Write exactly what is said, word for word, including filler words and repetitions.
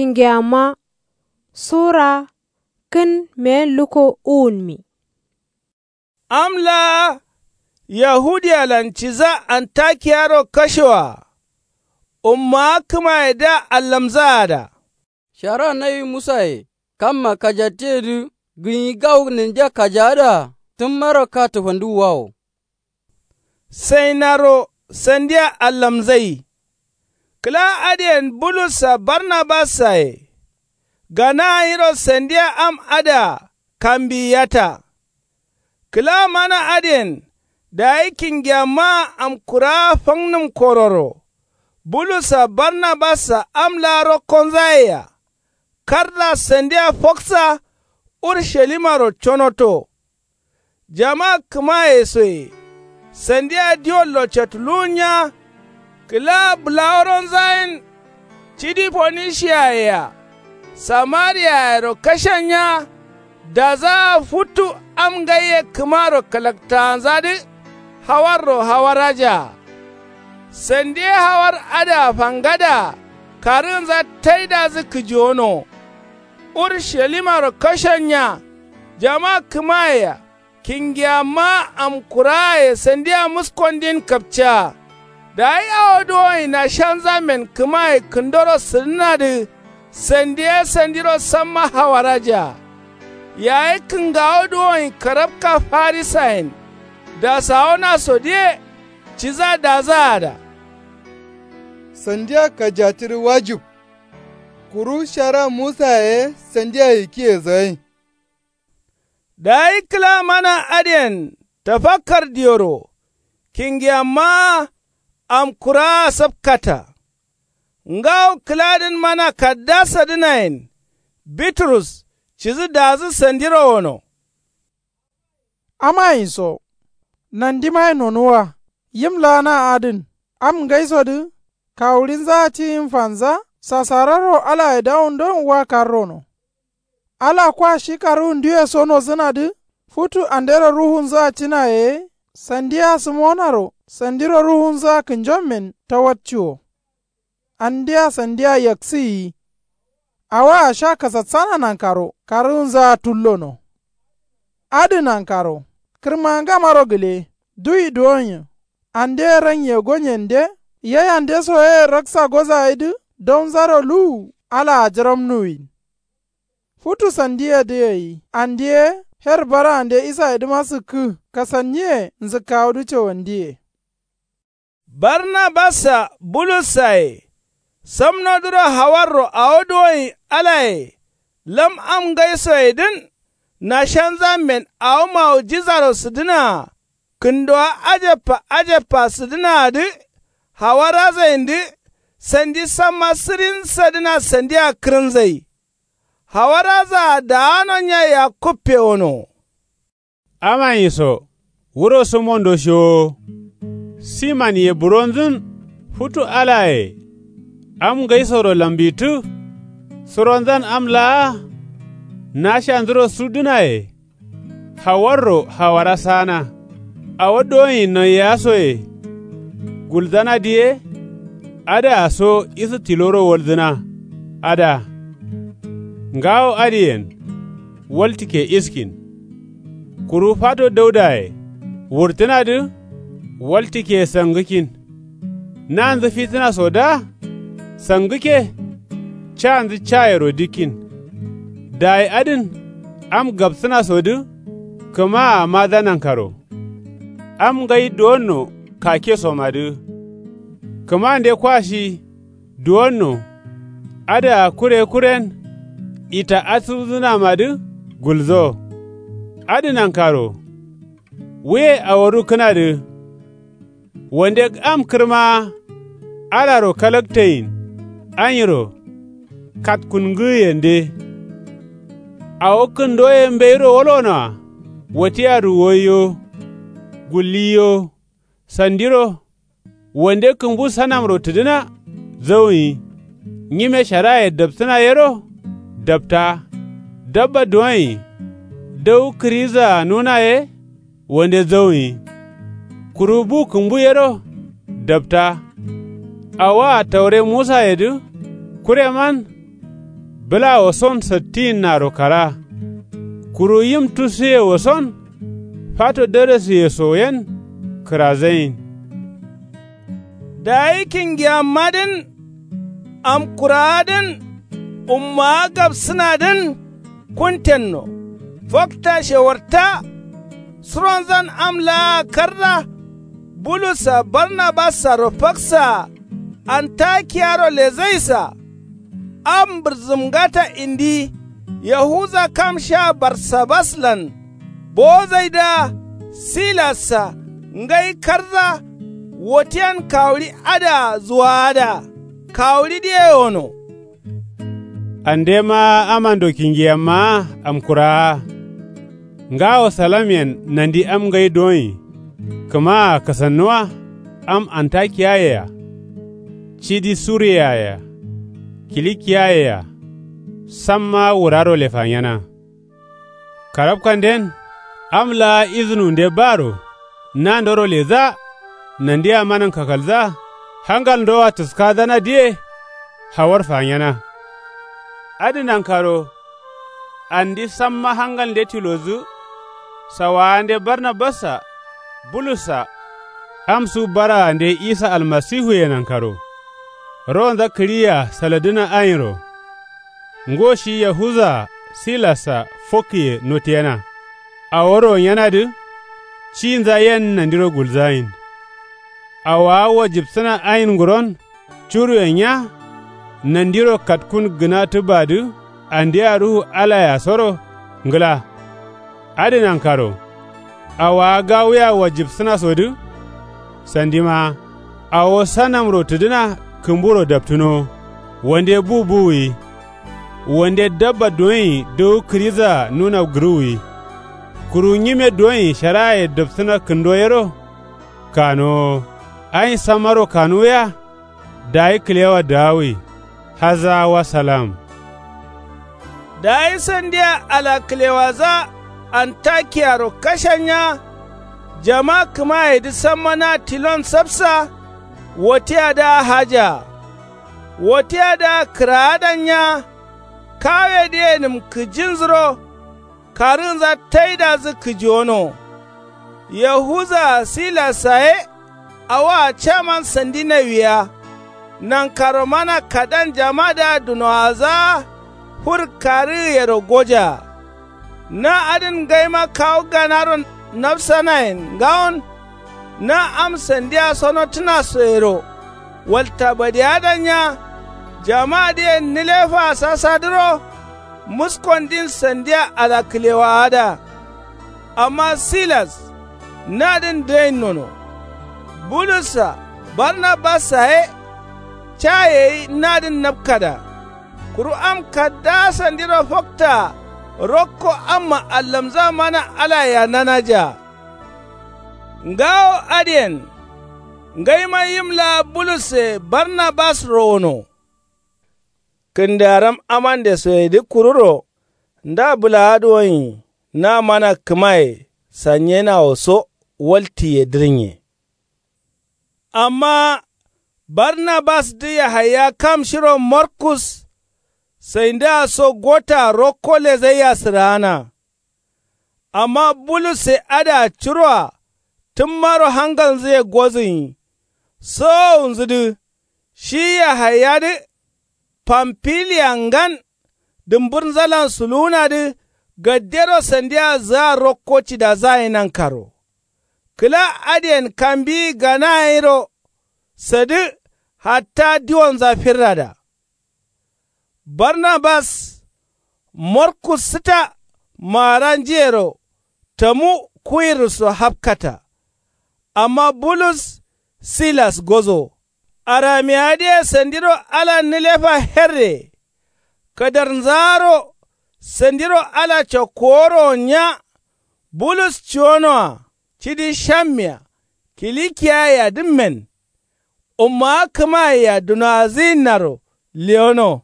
Kǝngeyamma sura kǝn meyen lukko uwunmi. Am laa yahudiyalan ciza antakiyaro kashewoa. Ummawa kǝmayedǝa allamzaada. Shara nawi musaye kamma kajatiyedǝ gǝnyi gawo ninja kajaadǝa tǝmmaro katǝfandǝwwawo. Sainaro sandia allamzai. Kǝla adǝyen bulussa barnabassaye gana ganyiro sandia am adǝa kambiyiyata. Kǝla mana adǝyen dayi kingiyammaa amkurawa fannǝm kororo bulussa barnabassa am laa rokkonzayea. Karda sandia foksa urushalimaro conoto. Jama kǝmayesoye sandia diwollo catuluwunya. Kǝla bǝlaworonzayen cidi fonishiyayea samariyayero kashanya. Dazaa futu am ngaiye kǝmaro kalaktaanzadǝ hawarro hawarajaa. Sandiye hawar adǝa fangadaa karǝgǝnza taidazǝ kǝjiwono. Urushalimaro kashanya. Jama kǝmayea kingiyammaa amkurawaye sandia muskondin kapcaa. Dayi awo duwonyi nashanzammen kǝmaye kǝndoro sǝdǝnadǝ sandiye sandiro samma hawarajaa. Yayi kǝngawo duwonyi karabka farisayen dasawonasodǝye ciza dazaada. Sandia kajatidǝ wajib. Kuru shara musaye sandia yikiyesoyen. Dayi kǝla mana adǝyen tafakkar diyoro kingiyammaa amkurawaa sapkata. Ngawo kǝladǝn mana kaddasadǝnayen bitrus cidǝ dazǝ sandiro wono. Amanyi so nandimaye nonuwwa yim laa na adǝn am ngaisodǝ kawuɍinzaa ti yim fanza sasararro alaye dawundon wa karrono. Ala kwa shi karǝwunduwe so nozǝnadǝ futu andero ruhunzǝa cina ye sandiya sǝmonaro sandiro ruhunzǝa kǝnjommen tawatciwo. Andea sandia yaksǝyiyi. Awoa sha kasassana nankaro karǝgǝnzaa tullono. Adǝ nankaro kǝrmangamaro gǝle duwi duwonyi. Ande ranye gonyende yayande soyeye raksa gozaidǝ daunzaro luwu alaa jǝramnuwin. Futu sandiyedǝ gai ande ye her baraande isayedǝma sǝkkǝ kasanniye nzǝkkawudǝ cowandiye. Barnabassa bulussaye samnodǝro hawarro awo duwonyi alaye lam am ngaisoyedǝn nashanzammen awo mawujizaro sǝdǝnaa kǝndowa ajabba ajabba sǝdǝnaadǝ. Hawarazaindǝ sandi samma sǝrinsadǝna sandia kǝrǝnzai. Hawarazaa daano nya yakkuppe wono. Amanyi so wuro sǝmondo shiwowo. Simanye buronzǝn futu alaye am ngaisoro lambittǝ. Suronzan am laa nashandǝro sudǝnaye. Hawarro hawara saana awo doyin noiyeya soye. Gulzanadǝ ye adǝa so isǝ tiloro walzǝna. Adǝa ngawo adǝyen waltǝkke iskin. Kuru fato daudaye wurtǝnadǝ waltǝkke sangǝkin. Nanzǝ fitǝna soda sangǝkke. Canzǝ cayero dikkin. Dayi adǝn am gapsǝnasodǝ kǝmaa maza nankaro. Am ngai duwonno kakesomadǝ kǝmande kwa shi duwonno. Adǝa kure kuren ita asǝwzǝnamadǝ gulzo. Adǝ nankaro wuye awodu kǝnadǝ. Wande am kǝrmaa alaro kalakteyin anyiro katkungǝgǝyende. Awo kǝndo ye mbeiro wolonoa watiyadǝ woiyo gulliyo. Sandiro wande kǝmbu sanamro tǝdǝna zauyi. Nyime sharaye dapsǝna yero dapta. Dabba duwonyi dau kǝrizaa nuna ye wande zauyi. Kuru bu kǝmbu yero dapta. Awoa taure musayedǝ kureman Bǝlawoson sattiyinnaro kara. Kuru yim tusuyewoson fato darasiyesoyen kǝrazayin. Dayi kingiyammadǝn amkurawadǝn ummawa gabsǝnadǝn kuntenno. Fokta shewarta suronzan am laa karra. Bulus-a barnabas-aro faksaa antakiyaro lezaisa. Am bǝrzǝmgata indi yahuza kam sha barsabaslan bowozaidǝa. Silas-a ngai karza wotiyen kawuɍi adǝa zuwaada. Kawuɍidǝye wono. Andema amando kingiyammaa amkurawaa. Ngawo salamyen nandi am ngai doin. Kǝmaa kasannuwa am antakiyayea. Cidi suriyaye-a kilikiyaye-a samma wuraro lefanyena. Karabkanden am laa izǝnunde baro nandoro ledza. Nandia manan kakalza hangalndoa tǝskadzanadǝye. Hawar fanyena adǝ nankaro. Andi samma hangalnde tilodǝ sawaande barnabas-a bulus-a amsu baraande isa almasihuye nankaro. Ronza kǝɍiya saladǝna ainro. Ngo shi yahuza-a silas-a fokkǝye notiyena. Awo ronyenadǝ cinza yen nandiro gulzayin. Awowa wajibsǝna ain nguron curuyen nya. Nandiro katkun gǝna tǝbadǝ andea ruhu alayea soro ngla. Adǝ nankaro awowa gawuya wajibsǝnasodǝ. Sandima awo sanamro tǝdǝna kǝmburo daptǝnowo. Wande bu buwuyi. Wande dabba doin dǝwu kǝɍidzaa nuna gǝrǝwuyi. Kuru nyime doin sharaye dapsǝna kǝndo yero. Kanowo ain sammaro kanuwuya. Dayi kǝlewa dawuwi. Haza wa salam. Dayi sandia ala kǝlewadza antakiyaro kashanya. Jama kǝmayedǝ samma na tilon sapsa. Wotiyadǝa hajaa. Wotiyadǝa kǝraadanya. Kawedǝyenǝm kǝjinzǝro karǝnza taidazǝ kǝjiwono. Yahuza-a silas-a ye awoa caman sandi nawiya. Nankaro mana kadan jamadǝa dunowadza fur karǝgǝyero gojaa. Na adǝn ngaima kawu ganaro nafsanayen ngawon. Na am sandia sonotǝnasoyero walta badeadanya. Jamadǝyen nǝlefaa sasadǝro muskondin sandia ala kǝlewaada. Amma silas nadǝn dǝin nono. Bulus-a barnabas-a ye cayeyi nadǝn napkada. Kuru am kaddaa sandiro foktaa rokko amma allamza mana alayea nanajaa. Ngawo adǝyen ngaima yim laa bulus-e barnabas rowono. Kǝndaram amandesoyedǝ kururo nda bǝlaadǝ woin na mana kǝmaye sanyenawo so waltiye dǝrnye. Amma barnabasdǝ yahaya kam shiro markus saindǝa so gotaa rokko lezaiya sǝraana. Amma bulus-e adǝa curoa tǝmmaro hangalnzǝye gozǝnyi. Sowowunzǝdǝ shi yahayadǝ pamfiliya ngan dǝmburnzalan suluwunadǝ gaddero sandia zǝa rokko cidadzaye nankaro. Kǝla adǝyen kambiyi ganayeiro sadǝ hatta diwonza firrada. Barnabas markus sǝta maaranjiyero tamu kuwirǝsso hapkata. Amma bulus silas gozo. Aramiyadǝye sandiro ala nǝlefa herre kadarnzaaro sandiro ala cokkuworowo nya. Bulus ciwonoa cidi shammiya kilikiyayea dǝmmen. Ummawa kǝmayea dunowadǝyinnaro lewono.